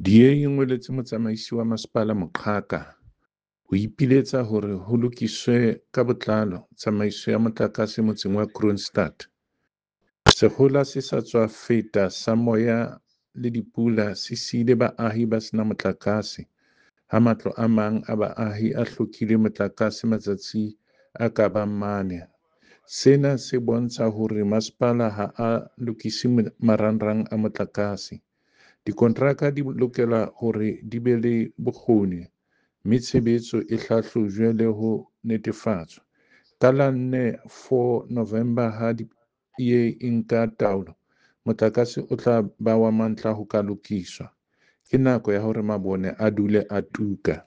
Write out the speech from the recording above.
DA e ngoletse Motsamaisi wa Masepala moqhaka ho ipiletsa hore ho lokiswe ka botlalo tsamaiso ya motlakase motseng wa Kroonstad. Sekgohola se sa tswa feta sa moya le dipula se siile baahi ba sena motlakase, ha matlo a mang a baahi a hlokile motlakase matsatsi a ka bang mane. Sena se bontsha hore masepala ha a lokise marangrang a motlakase. Dikonteraka di lokela hore di be le bokgoni mme tshebetso e hlahlojwe le ho netefatswa. Ka la 4 November ha DA e nka taolo, motlakase o tla ba wa mantlha ho ka lokiswa. Ke nako ya hore mabone a dule a tuka.